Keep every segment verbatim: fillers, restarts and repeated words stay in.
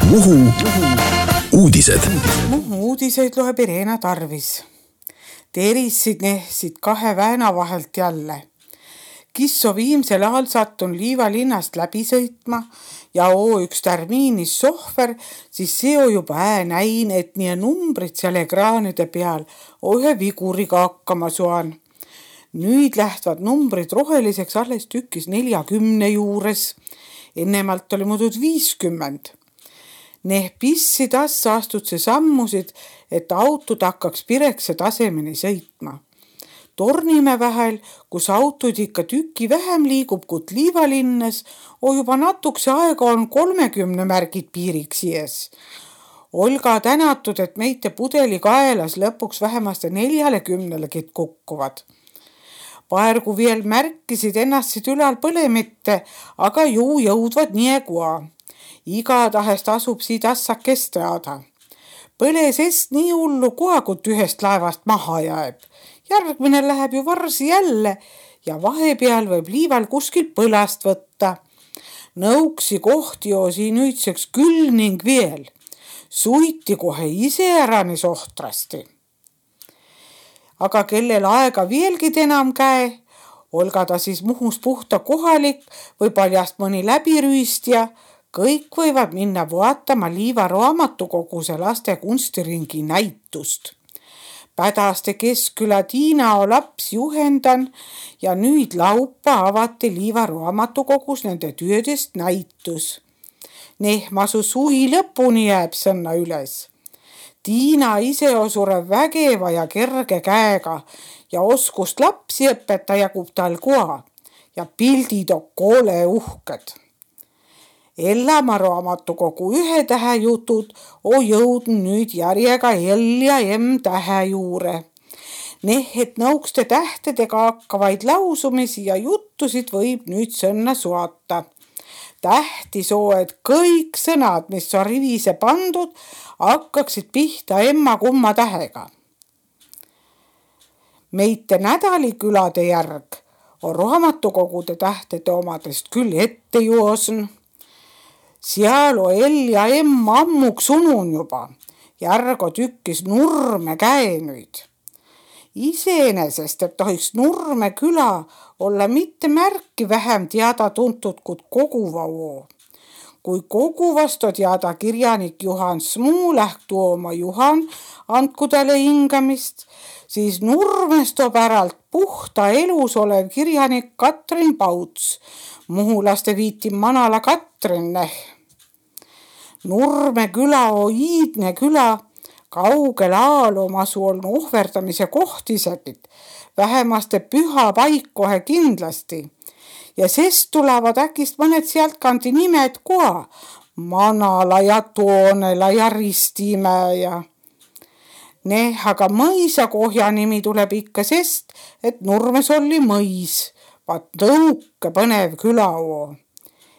Muhu uudised. Muhu uudiseid loeb Irena Tarvis. Terissid nehsid kahe vääna vahelt jälle. Kisso viimsel ajal sattun Liiva linnast läbi sõitma ja oo üks tärmiinis sohver, siis seo juba ää näin, et nii numbrid seal ekraanide peal ühe viguriga hakkama suan. Nüüd lähtvad numbrid roheliseks alles tükis neljakümne juures. Ennemalt oli muudud viiskümmend. Neh pissi tassa astud see sammusid, et autod hakkaks pirekse tasemeni sõitma. Tornime vähel, kus autod ikka tüki vähem liigub kui Liiva linnas, o juba natukse aega on kolmekümne märgid piiriks ies. Olga tänatud, et meite pudeli kaelas lõpuks vähemaste neljakümnelegi kukkuvad. Paergu veel märkisid ennastsid ülal põlemitte, aga ju jõudvad nii kua. Igatahes tasub siid assakes teada. Põle sest nii hullu koha, kui ühest laevast maha jääb. Järgmine läheb ju varsi jälle ja vahepeal võib Liival kuskil põlast võtta. Nõuksi kohti osi nüüdseks küll ning veel. Suiti kohe ise äranis ohtrasti. Aga kellel aega veelgi enam käe, olga ta siis Muhus puhta kohalik või paljast mõni läbirüüstja, kõik võivad minna vaatama Liiva raamatukoguse laste kunstiringi näitust. Pädaste Keskküla Tiinao laps juhendan ja nüüd laupa avati Liiva raamatukogus nende töödest näitus. Nehmasu suhi lõpuni jääb sõnna üles. Tiina ise osure vägeva ja kerge käega ja oskust lapsi õpeta jagub tal koha ja pildid on koole uhked. Ellamaa raamatukogu ühe tähe jutud on jõudnud nüüd järjega L ja M tähe juure. Neh, et nõukste tähtedega hakkavaid lausumisi ja juttusid võib nüüd sõnna suata. Tähtis oo, et kõik sõnad, mis on rivise pandud, hakkaksid pihta emma kumma tähega. Meite nädalikülade järg on raamatukogude tähtede omadest küll ette joosn. Seal on L ja M ammuks unun juba. Järgo tükkis Nurme käe nüüd. Iseenesest, et tohiks Nurme küla olla mitte märki vähem teada tuntud kui Koguva oo. Kui Koguvast on teada kirjanik Juhan Smuu lähtu oma Juhan andku talle hingamist, siis Nurmest toob äralt puhta elus olev kirjanik Katrin Pauts, muhulaste viiti Manala Katrin neh. Nurme küla on iidne küla, kaugel aalomasu on ohverdamise koht isegi, vähemaste püha paik kohe kindlasti. Ja sest tulevad äkist mõned sealt kandi nimed koha, Manala ja Toonela ja Ristimäe ja neh, aga mõisakohja nimi tuleb ikka sest, et Nurmes oli mõis, vaat tõuke põnev küla oo.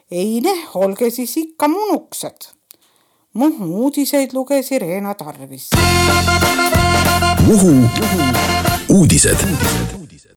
Ei neh, olge siis ikka munuksed. Muhu uudiseid luges Irena Tarvis. Muhu uudised.